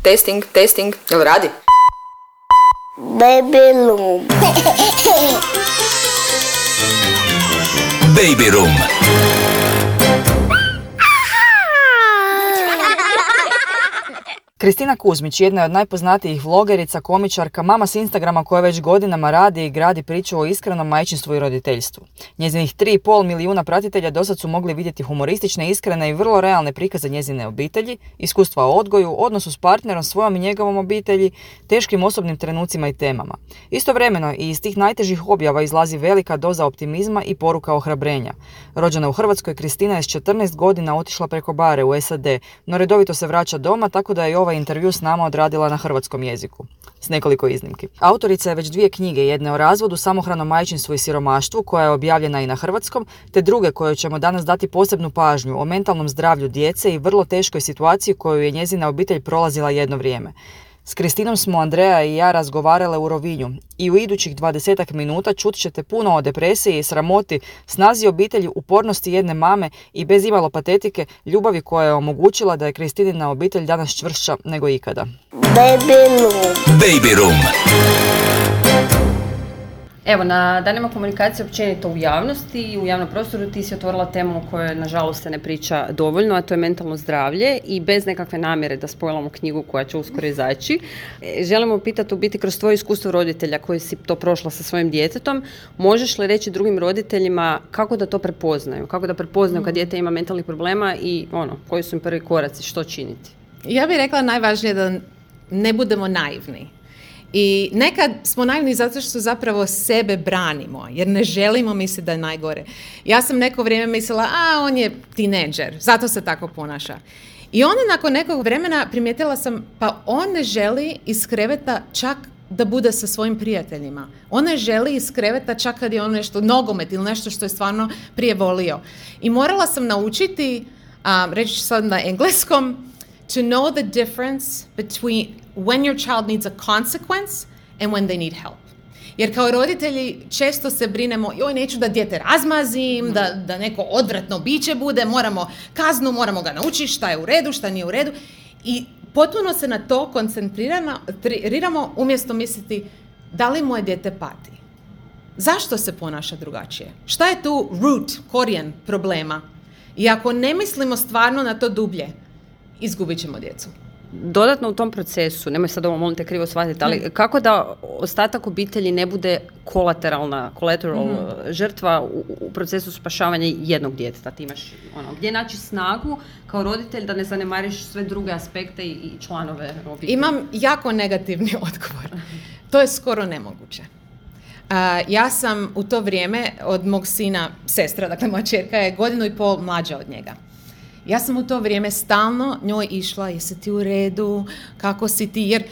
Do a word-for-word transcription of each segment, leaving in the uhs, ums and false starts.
Testing, testing, jel radi? Baby room. Baby room. Kristina Kuzmić, jedna je od najpoznatijih vlogerica, komičarka, mama s Instagrama koja već godinama radi i gradi priču o iskrenom majčinstvu i roditeljstvu. Njezinih tri i pol milijuna pratitelja dosad su mogli vidjeti humoristične, iskrene i vrlo realne prikaze njezine obitelji, iskustva o odgoju, odnosu s partnerom, svojom i njegovom obitelji, teškim osobnim trenucima i temama. Istovremeno i iz tih najtežih objava izlazi velika doza optimizma i poruka ohrabrenja. Rođena u Hrvatskoj, Kristina je s četrnaest godina otišla preko bare u S A D, no redovito se vraća doma, tako da je ovaj intervju s nama odradila na hrvatskom jeziku, s nekoliko iznimki. Autorica je već dvije knjige, jedne o razvodu, samohranom majčinstvu i siromaštvu, koja je objavljena i na hrvatskom, te druge koje ćemo danas dati posebnu pažnju o mentalnom zdravlju djece i vrlo teškoj situaciji koju je njezina obitelj prolazila jedno vrijeme. S Kristinom smo Andreja i ja razgovarale u Rovinju i u idućih dvadesetak minuta čut ćete puno o depresiji i sramoti, snazi obitelji, upornosti jedne mame i bez imalo patetike ljubavi koja je omogućila da je Kristinina obitelj danas čvršća nego ikada. Baby room. Baby room. Evo, na danima komunikacije općenito u javnosti i u javnom prostoru ti si otvorila temu o kojoj nažalost se ne priča dovoljno, a to je mentalno zdravlje i bez nekakve namjere da spojlamo knjigu koja će uskoro izaći. Želimo pitati u biti kroz tvoje iskustvo roditelja koji si to prošla sa svojim djetetom, možeš li reći drugim roditeljima kako da to prepoznaju, kako da prepoznaju kad dijete ima mentalnih problema i ono, koji su im prvi koraci, što činiti? Ja bih rekla najvažnije da ne budemo naivni. I nekad smo naivni zato što zapravo sebe branimo, jer ne želimo misliti da je najgore. Ja sam neko vrijeme mislila, a on je tineđer, zato se tako ponaša. I onda nakon nekog vremena primijetila sam, pa on ne želi iz kreveta čak da bude sa svojim prijateljima. On ne želi iz kreveta čak kad je on nešto, nogomet ili nešto što je stvarno prije volio. I morala sam naučiti, um, reći ću sad na engleskom, to know the difference between when your child needs a consequence and when they need help. Jer kao roditelji često se brinemo, joj, neću da dijete razmazim, mm. da, da neko odvratno biće bude, moramo kaznu, moramo ga naučiti šta je u redu, šta nije u redu. I potpuno se na to koncentriramo umjesto misliti da li moje dijete pati. Zašto se ponaša drugačije? Šta je tu root, korijen problema? I ako ne mislimo stvarno na to dublje, izgubit ćemo djecu. Dodatno u tom procesu, nemoj sad ovo molim te krivo shvatiti, ali mm. kako da ostatak obitelji ne bude kolateralna, collateral mm-hmm. žrtva u, u procesu spašavanja jednog djeteta? Ti imaš ono, gdje naći snagu kao roditelj da ne zanemariš sve druge aspekte i, i članove obitelji? Imam jako negativni odgovor. To je skoro nemoguće. Uh, ja sam u to vrijeme od mog sina, sestra, dakle moja čerka je godinu i pol mlađa od njega. Ja sam u to vrijeme stalno njoj išla, jesi ti u redu, kako si ti, jer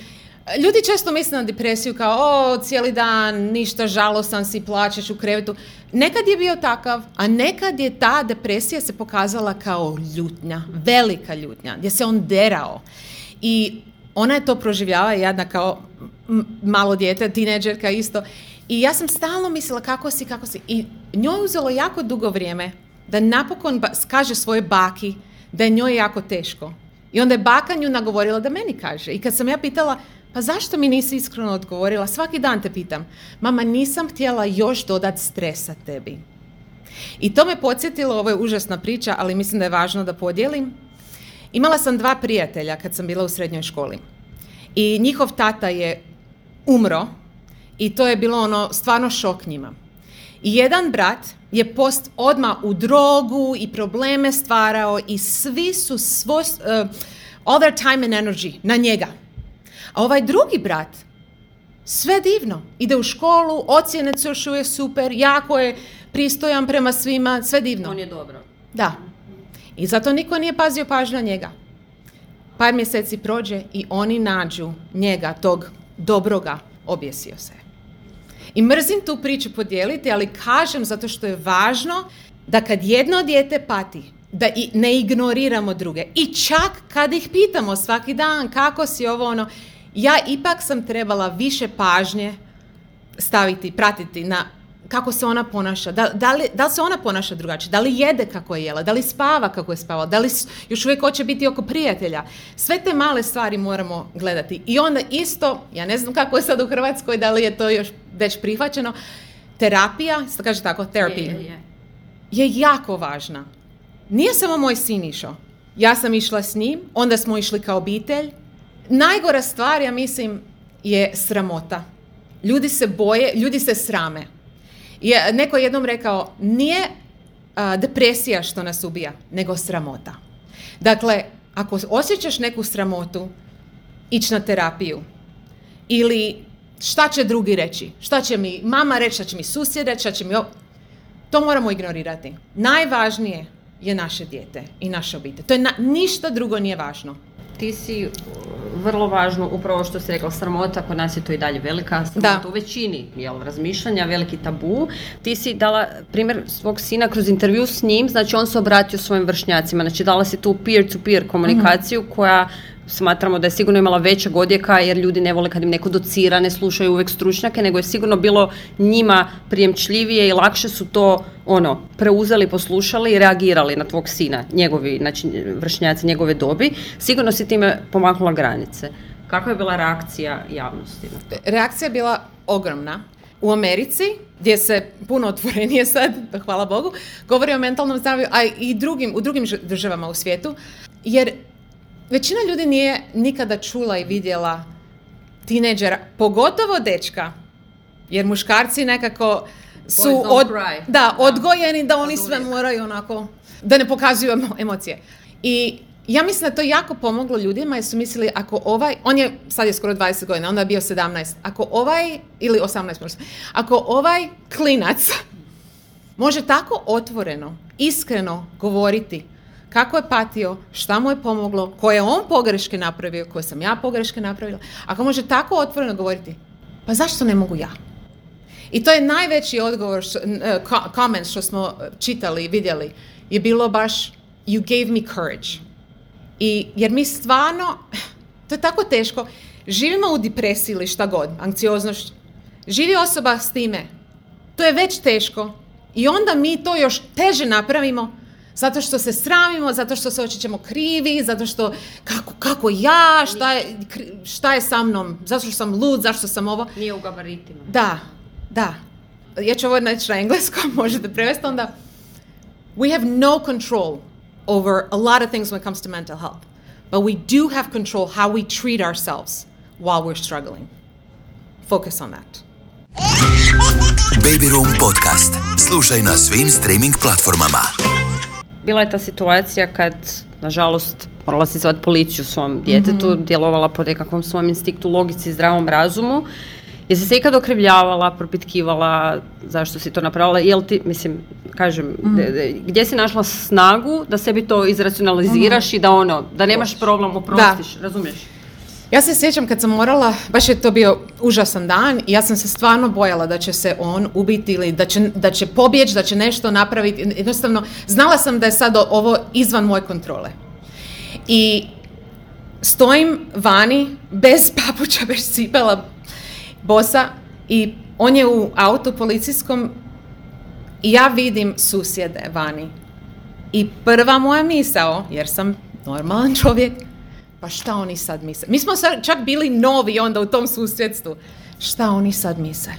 ljudi često misle na depresiju kao, o, cijeli dan, ništa, žalostan si, plačeš u krevetu. Nekad je bio takav, a nekad je ta depresija se pokazala kao ljutnja, velika ljutnja, gdje se on derao. I ona je to proživljava, jadna kao m- malo dijete, tineđerka isto. I ja sam stalno mislila kako si, kako si. I njoj uzelo jako dugo vrijeme da napokon ba- kaže svoje baki da je njoj jako teško. I onda je baka nju nagovorila da meni kaže. I kad sam ja pitala, pa zašto mi nisi iskreno odgovorila, svaki dan te pitam, mama, nisam htjela još dodat stresa tebi. I to me podsjetilo, ovo je užasna priča, ali mislim da je važno da podijelim. Imala sam dva prijatelja kad sam bila u srednjoj školi. I njihov tata je umro i to je bilo ono stvarno šok njima. I jedan brat je post odmah u drogu i probleme stvarao i svi su svoj, uh, all their time and energy na njega. A ovaj drugi brat, sve divno, ide u školu, ocjene su još uvijek super, jako je pristojan prema svima, sve divno. On je dobro. Da. I zato niko nije pazio pažnju na njega. Par mjeseci prođe i oni nađu njega, tog dobroga, objesio se. I mrzim tu priču podijeliti, ali kažem zato što je važno da kad jedno dijete pati, da i ne ignoriramo druge. I čak kad ih pitamo svaki dan kako si ovo ono, ja ipak sam trebala više pažnje staviti, pratiti na kako se ona ponaša, da, da, li, da li se ona ponaša drugačije, da li jede kako je jela, da li spava kako je spavala, da li još uvijek hoće biti oko prijatelja. Sve te male stvari moramo gledati. I onda isto, ja ne znam kako je sad u Hrvatskoj, da li je to još već prihvaćeno, terapija, se kaže tako, therapy, je, je. je jako važna. Nije samo moj sin išao. Ja sam išla s njim, onda smo išli kao obitelj. Najgora stvar, ja mislim, je sramota. Ljudi se boje, ljudi se srame. Je, neko je jednom rekao, nije a, depresija što nas ubija, nego sramota. Dakle, ako osjećaš neku sramotu, ići na terapiju. Ili šta će drugi reći? Šta će mi mama reći, šta će mi susjed reći, šta će mi... To moramo ignorirati. Najvažnije je naše dijete i naša obitelj. To je na, ništa drugo nije važno. Ti si vrlo važno, upravo što si rekla, sramota, kod nas je to i dalje velika sramota da. U većini, jel, razmišljanja, veliki tabu. Ti si dala primjer svog sina kroz intervju s njim, znači on se obratio svojim vršnjacima, znači dala si tu peer-to-peer komunikaciju mm-hmm. koja smatramo da je sigurno imala većeg odjeka, jer ljudi ne vole kad im neko docira, ne slušaju uvijek stručnjake, nego je sigurno bilo njima prijemčljivije i lakše su to ono preuzeli, poslušali i reagirali na tvog sina, njegovi, znači vršnjaci njegove dobi. Sigurno si time pomaknula granice. Kakva je bila reakcija javnosti na to? Reakcija je bila ogromna. U Americi, gdje se puno otvorenije sad, hvala Bogu, govori o mentalnom zdravlju, a i drugim, u drugim državama u svijetu, jer većina ljudi nije nikada čula i vidjela tineđera, pogotovo dečka, jer muškarci nekako su od, da, odgojeni da oni sve moraju onako, da ne pokazuju emocije. I ja mislim da je to jako pomoglo ljudima jer su mislili ako ovaj, on je, sad je skoro dvadeset godina, onda je bio sedamnaest, ako ovaj, ili osamnaest možda, ako ovaj klinac može tako otvoreno, iskreno govoriti kako je patio, šta mu je pomoglo, koje je on pogreške napravio, koje sam ja pogreške napravila. Ako može tako otvoreno govoriti, pa zašto ne mogu ja? I to je najveći odgovor, što, uh, comment što smo čitali i vidjeli, je bilo baš you gave me courage. I, jer mi stvarno, to je tako teško, živimo u depresiji ili šta god, anksioznost, živi osoba s time, to je već teško i onda mi to još teže napravimo zato što se sramimo, zato što se osjećamo krivi, zato što kako, kako ja, šta je, šta je sa mnom, zato što sam lud, zašto sam ovo. Nije u gabaritima. Da, da. Ja ću ovo reći na engleskom, možete prevesti onda. We have no control over a lot of things when it comes to mental health, but we do have control how we treat ourselves while we're struggling. Focus on that. Baby Room podcast. Slušaj na svim streaming platformama. Bila je ta situacija kad, nažalost, morala si zvati policiju svom djetetu, mm-hmm. djelovala po nekakvom svom instinktu, logici, zdravom razumu. Jesi se ikad okrivljavala, propitkivala zašto si to napravila? Jel ti, mislim, kažem, mm. de, de, gdje si našla snagu da sebi to izracionaliziraš mm. i da ono, da nemaš problem, oprostiš, da. Razumiješ? Ja se sjećam kad sam morala, baš je to bio užasan dan i ja sam se stvarno bojala da će se on ubiti ili da će, da će pobjeći, da će nešto napraviti. Jednostavno, znala sam da je sad ovo izvan moje kontrole. I stojim vani, bez papuča, bez cipela, bosa, i on je u autu policijskom i ja vidim susjede vani. I prva moja misao, jer sam normalan čovjek, pa šta oni sad misle? Mi smo sad čak bili novi onda u tom susjedstvu. Šta oni sad misle?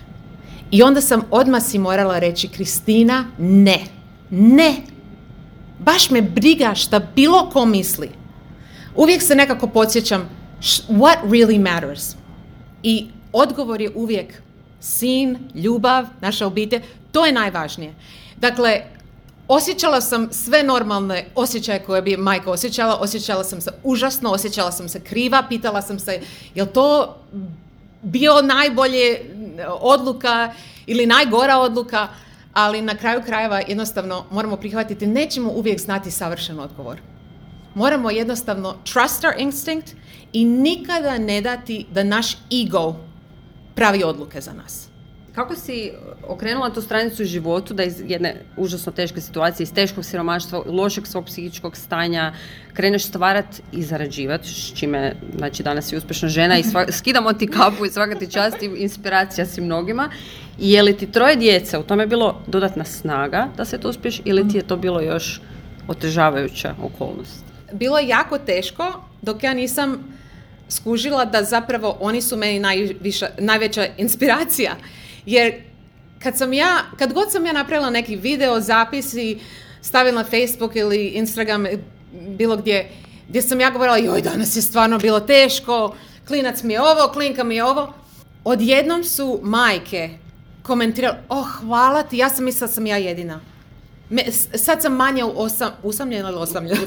I onda sam odmah si morala reći, Kristina, ne, ne. Baš me briga šta bilo ko misli. Uvijek se nekako podsjećam, what really matters? I odgovor je uvijek sin, ljubav, naša obitelj, to je najvažnije. Dakle, osjećala sam sve normalne osjećaje koje bi majka osjećala, osjećala sam se užasno, osjećala sam se kriva, pitala sam se je li to bio najbolje odluka ili najgora odluka, ali na kraju krajeva jednostavno moramo prihvatiti, nećemo uvijek znati savršen odgovor. Moramo jednostavno trust our instinct i nikada ne dati da naš ego pravi odluke za nas. Kako si okrenula tu stranicu u životu da iz jedne užasno teške situacije, iz teškog siromaštva, lošeg svog psihičkog stanja, kreneš stvarati i zarađivati, s čime, znači danas si uspješna žena i sva, skidamo ti kapu i svaka ti čast i inspiracija si mnogima. I je li ti troje djece, u tome je bilo dodatna snaga da se to uspješ ili ti je to bilo još otežavajuća okolnost? Bilo je jako teško dok ja nisam skužila da zapravo oni su meni najviša, najveća inspiracija. Jer kad sam ja, kad god sam ja napravila neki video, zapis i stavila na Facebook ili Instagram, bilo gdje, gdje sam ja govorila, joj, danas je stvarno bilo teško, klinac mi je ovo, klinka mi je ovo. Odjednom su majke komentirali, oh, hvala ti, ja sam mislila da sam ja jedina. Me, sad sam manje osam, usamljena ili osamljena?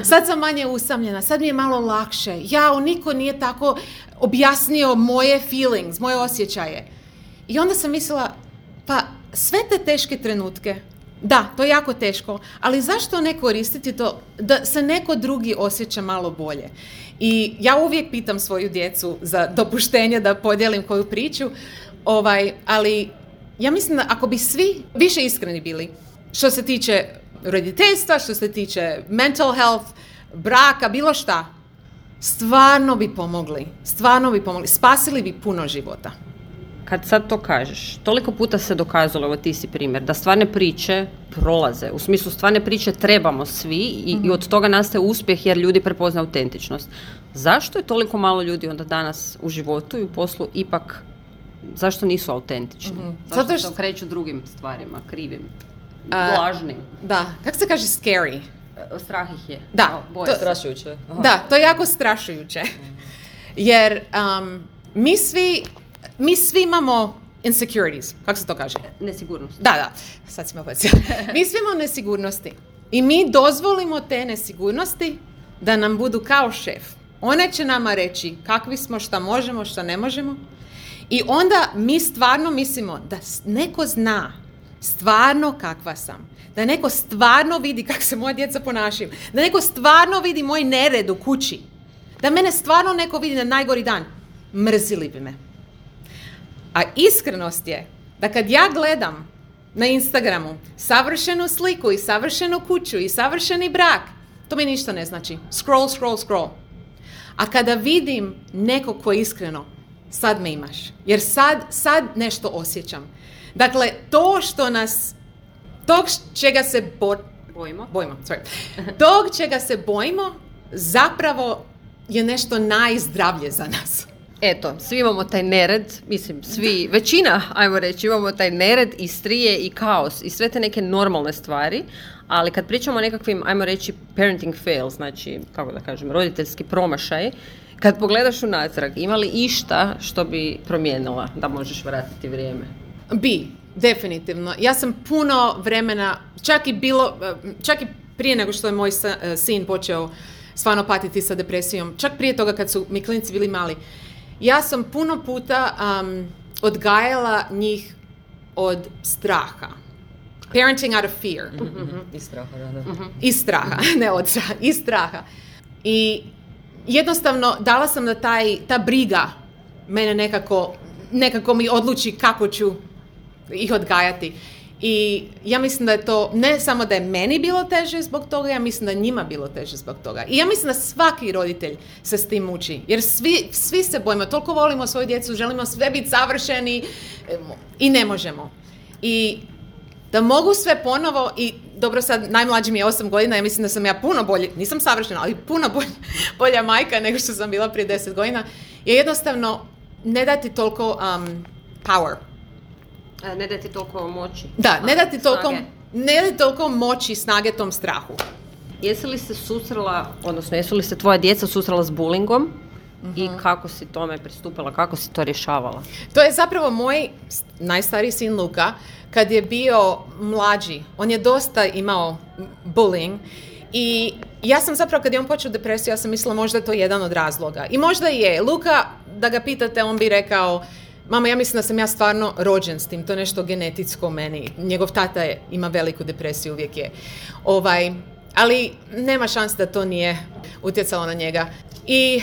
Sad sam manje usamljena, sad mi je malo lakše. Jao, niko nije tako objasnio moje feelings, moje osjećaje. I onda sam mislila, pa sve te teške trenutke, da, to je jako teško, ali zašto ne koristiti to da se neko drugi osjeća malo bolje? I ja uvijek pitam svoju djecu za dopuštenje da podijelim koju priču, ovaj, ali ja mislim da ako bi svi više iskreni bili, što se tiče roditeljstva, što se tiče mental health, braka, bilo šta, stvarno bi pomogli, stvarno bi pomogli, spasili bi puno života. Kad sad to kažeš, toliko puta se dokazalo, evo ti si primjer, da stvarne priče prolaze. U smislu stvarne priče trebamo svi i, mm-hmm. i od toga nastaje uspjeh jer ljudi prepoznaju autentičnost. Zašto je toliko malo ljudi onda danas u životu i u poslu ipak, zašto nisu autentični? Mm-hmm. Zašto Zato što... se okreću drugim stvarima, krivim, uh, lažnim? Da, kako se kaže scary? Strah ih je. Da, to je strašujuće. Aha. Da, to je jako strašujuće. Jer um, mi svi Mi svi imamo insecurities, kako se to kaže? Nesigurnost. Da, da, sad si me opocija. Mi svi imamo nesigurnosti i mi dozvolimo te nesigurnosti da nam budu kao šef. One će nama reći kakvi smo, šta možemo, šta ne možemo i onda mi stvarno mislimo da neko zna stvarno kakva sam, da neko stvarno vidi kako se moja djeca ponašaju, da neko stvarno vidi moj nered u kući, da mene stvarno neko vidi na najgori dan. Mrzili bi me. A iskrenost je da kad ja gledam na Instagramu savršenu sliku i savršenu kuću i savršeni brak, to mi ništa ne znači. Scroll, scroll, scroll. A kada vidim nekog ko je iskreno, sad me imaš. Jer sad, sad nešto osjećam. Dakle, to što nas, tog čega se bo, bojimo, bojimo sorry, tog čega se bojimo, zapravo je nešto najzdravlje za nas. Eto, svi imamo taj nered, mislim, svi, većina, ajmo reći, imamo taj nered i strije i kaos i sve te neke normalne stvari, ali kad pričamo o nekakvim, ajmo reći, parenting fails, znači, kako da kažem, roditeljski promašaj, kad pogledaš unatrag, ima li išta što bi promijenila da možeš vratiti vrijeme? Bi, definitivno. Ja sam puno vremena, čak i bilo, čak i prije nego što je moj sin počeo stvarno patiti sa depresijom, čak prije toga kad su mi klinici bili mali, ja sam puno puta um, odgajala njih od straha. Parenting out of fear. Mm-hmm. Iz straha, da, da. Mm-hmm. Iz straha, ne od straha, iz straha. I jednostavno dala sam da taj, ta briga mene nekako, nekako mi odluči kako ću ih odgajati. I ja mislim da je to, ne samo da je meni bilo teže zbog toga, ja mislim da je njima bilo teže zbog toga. I ja mislim da svaki roditelj se s tim muči. Jer svi, svi se bojimo, toliko volimo svoju djecu, želimo sve biti savršeni i ne možemo. I da mogu sve ponovo, i dobro sad najmlađi mi je osam godina, ja mislim da sam ja puno bolje, nisam savršena, ali puno bolja, bolja majka nego što sam bila prije deset godina, je jednostavno ne dati toliko um, power. Ne dati toliko moći. Da, ne dati toliko, ne dati toliko moći, snage tom strahu. Jesi li se susrela, odnosno jesu li se tvoja djeca susrela s bullyingom uh-huh. i kako si tome pristupila, kako si to rješavala? To je zapravo moj najstariji sin Luka, kad je bio mlađi, on je dosta imao bullying i ja sam zapravo, kad je on počeo depresiju, ja sam mislila možda je to jedan od razloga. I možda je. Luka, da ga pitate, on bi rekao, mama, ja mislim da sam ja stvarno rođen s tim, to je nešto genetitsko u meni. Njegov tata je, ima veliku depresiju, uvijek je. Ovaj, ali nema šanse da to nije utjecalo na njega. I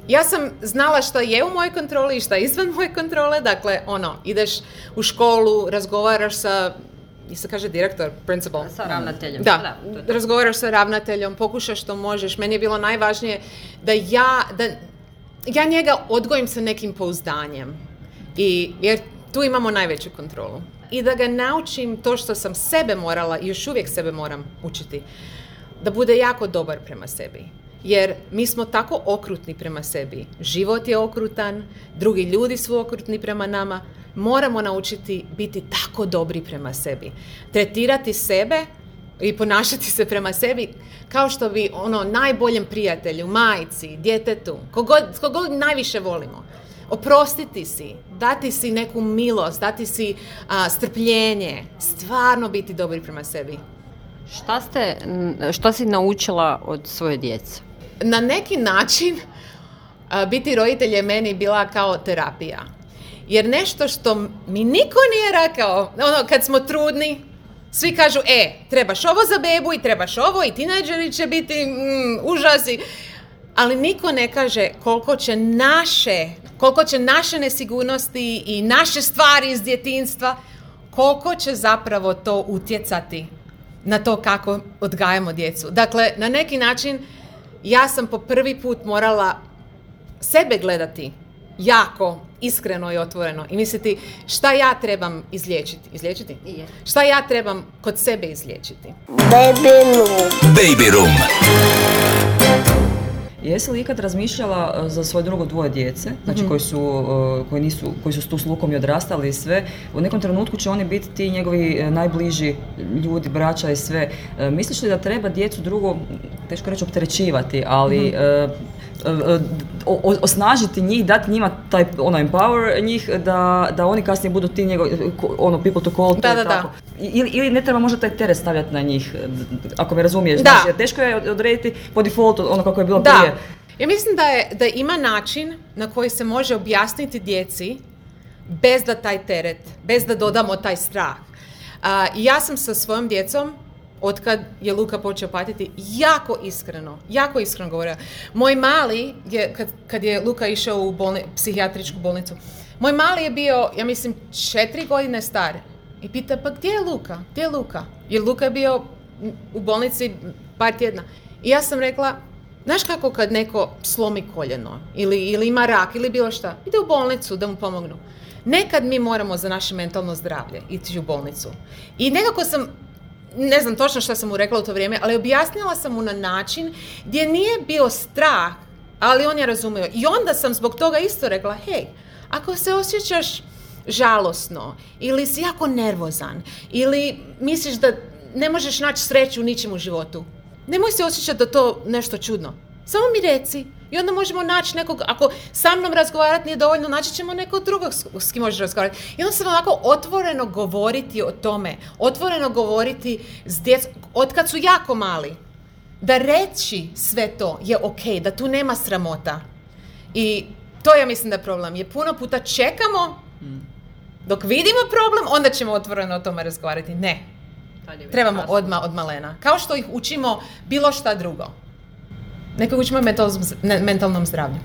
ja sam znala šta je u mojoj kontroli i šta je izvan moje kontrole. Dakle, ono, ideš u školu, razgovaraš sa, i se kaže direktor, principal. Sa ravnateljem. Da, da, razgovaraš sa ravnateljom, pokušaš što možeš. Meni je bilo najvažnije da ja, da ja njega odgojim sa nekim pouzdanjem. I, jer tu imamo najveću kontrolu. I da ga naučim to što sam sebe morala i još uvijek sebe moram učiti. Da bude jako dobar prema sebi. Jer mi smo tako okrutni prema sebi. Život je okrutan, drugi ljudi su okrutni prema nama. Moramo naučiti biti tako dobri prema sebi. Tretirati sebe i ponašati se prema sebi kao što bi ono najboljem prijatelju, majci, djetetu, kogod, kogod najviše volimo. Oprostiti si, dati si neku milost, dati si a, strpljenje, stvarno biti dobri prema sebi. Šta ste, šta si naučila od svoje djece? Na neki način a, biti roditelj je meni bila kao terapija. Jer nešto što mi niko nije rekao, ono kad smo trudni, svi kažu, e, trebaš ovo za bebu i trebaš ovo i tinejdžeri će biti mm, užasi. Ali niko ne kaže koliko će naše, koliko će naše nesigurnosti i naše stvari iz djetinjstva, koliko će zapravo to utjecati na to kako odgajamo djecu. Dakle, na neki način ja sam po prvi put morala sebe gledati jako iskreno i otvoreno i misliti šta ja trebam izliječiti. Izliječiti? Je. Šta ja trebam kod sebe izliječiti. Baby Room. Baby Room. Jesi li ikad razmišljala za svoje drugo dvoje djece, znači Mm-hmm. koji su, uh, koji nisu, koji su tu s lukom i odrastali i sve, u nekom trenutku će oni biti ti njegovi uh, najbliži ljudi, braća i sve. Uh, misliš li da treba djecu drugo, teško reći opterećivati, ali mm-hmm. uh, uh, uh, osnažiti njih, dati njima taj ono empower njih da, da oni kasnije budu ti njegovi, ono people to call, Da, to da, je da. tako. Ili, ili ne treba možda taj teret stavljati na njih, ako me razumiješ, Da. znači, jer teško je odrediti po defaultu ono kako je bilo Da. prije. Ja mislim da, je, da ima način na koji se može objasniti djeci bez da taj teret, bez da dodamo taj strah. A, ja sam sa svojom djecom, otkad je Luka počeo patiti, jako iskreno, jako iskreno govorio. Moj mali, je, kad, kad je Luka išao u bolni, psihijatričku bolnicu, moj mali je bio, ja mislim, četiri godine star. I pita, pa gdje je Luka? Gdje je Luka? Jer Luka je bio u bolnici par tjedna. I ja sam rekla, znaš kako kad neko slomi koljeno ili, ili ima rak ili bilo šta, ide u bolnicu da mu pomognu. Nekad mi moramo za naše mentalno zdravlje ići u bolnicu. I nekako sam, ne znam točno što sam mu rekla u to vrijeme, ali objasnila sam mu na način gdje nije bio strah, ali on je razumio. I onda sam zbog toga isto rekla, hej, ako se osjećaš žalosno ili si jako nervozan ili misliš da ne možeš naći sreću u ničem u životu, nemoj se osjećati da to nešto čudno. Samo mi reci i onda možemo naći nekog, ako sa mnom razgovarati nije dovoljno, naći ćemo nekog drugog s kim možeš razgovarati. I onda sam onako otvoreno govoriti o tome, otvoreno govoriti s djecom, od kad su jako mali, da reći sve to je ok, da tu nema sramota. I to ja mislim da je problem. Je puno puta čekamo dok vidimo problem, onda ćemo otvoreno o tome razgovarati. Ne. Trebamo odmah od malena. Kao što ih učimo bilo šta drugo. Neko učimo mentalnom zdravlju.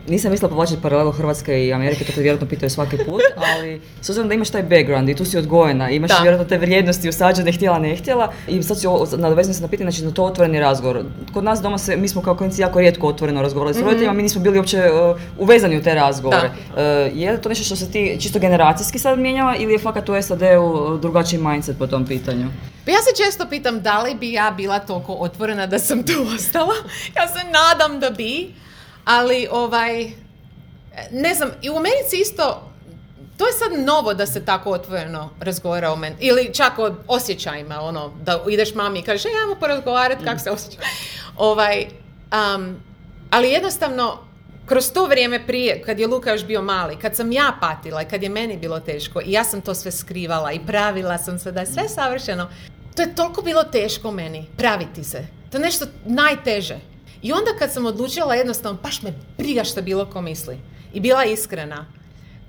Nisam mislila povlačiti paralelu Hrvatske i Amerike, to te vjerojatno pitaju svaki put, ali s obzirom da imaš taj background i tu si odgojena, imaš Da. vjerojatno te vrijednosti usađene, htjela, ne htjela, i sad si nadovezana se na pitanje, znači na to otvoreni razgovor. Kod nas doma se, mi smo kao klinici jako rijetko otvoreno razgovarali s roditeljima, mi nismo bili uopće uh, uvezani u te razgovore. Uh, je li to nešto što se ti čisto generacijski sad mijenjava ili je fakat u S A D-u drugačiji mindset po tom pitanju? Pa ja se često pitam da li bi ja bila toliko otvorena da sam tu ostala. Ja se nadam da bi. Ali, ovaj, ne znam, i u Americi isto, to je sad novo da se tako otvoreno razgovara o meni, ili čak o osjećajima, ono, da ideš mami i kažeš, ajmo porazgovarati kako se osjećam. Ovaj, um, ali jednostavno, kroz to vrijeme prije, kad je Luka još bio mali, kad sam ja patila i kad je meni bilo teško i ja sam to sve skrivala i pravila sam se da je sve savršeno, to je toliko bilo teško meni, praviti se. To je nešto najteže. I onda kad sam odlučila jednostavno, baš me briga što bilo ko misli. I bila iskrena.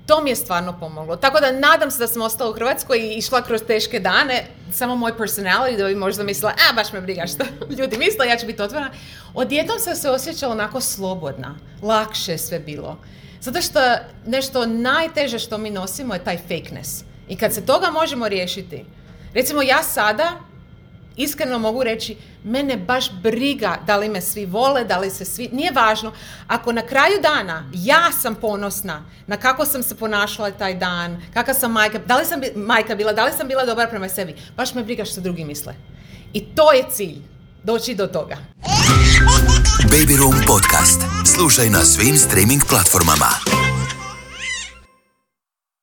To mi je stvarno pomoglo. Tako da nadam se da sam ostala u Hrvatskoj i išla kroz teške dane. Samo moj personality da bi možda mislila, a baš me briga što ljudi misle, ja ću biti otvorena. Odjednom sam se osjećala onako slobodna. Lakše sve bilo. Zato što nešto najteže što mi nosimo je taj fakeness. I kad se toga možemo riješiti. Recimo ja sada iskreno mogu reći, mene baš briga da li me svi vole, da li se svi, nije važno. Ako na kraju dana ja sam ponosna na kako sam se ponašala taj dan, kakva sam majka, da li sam bi, majka bila, da li sam bila dobra prema sebi, baš me briga što drugi misle. I to je cilj, doći do toga. Baby Room podcast. Slušaj na svim streaming platformama.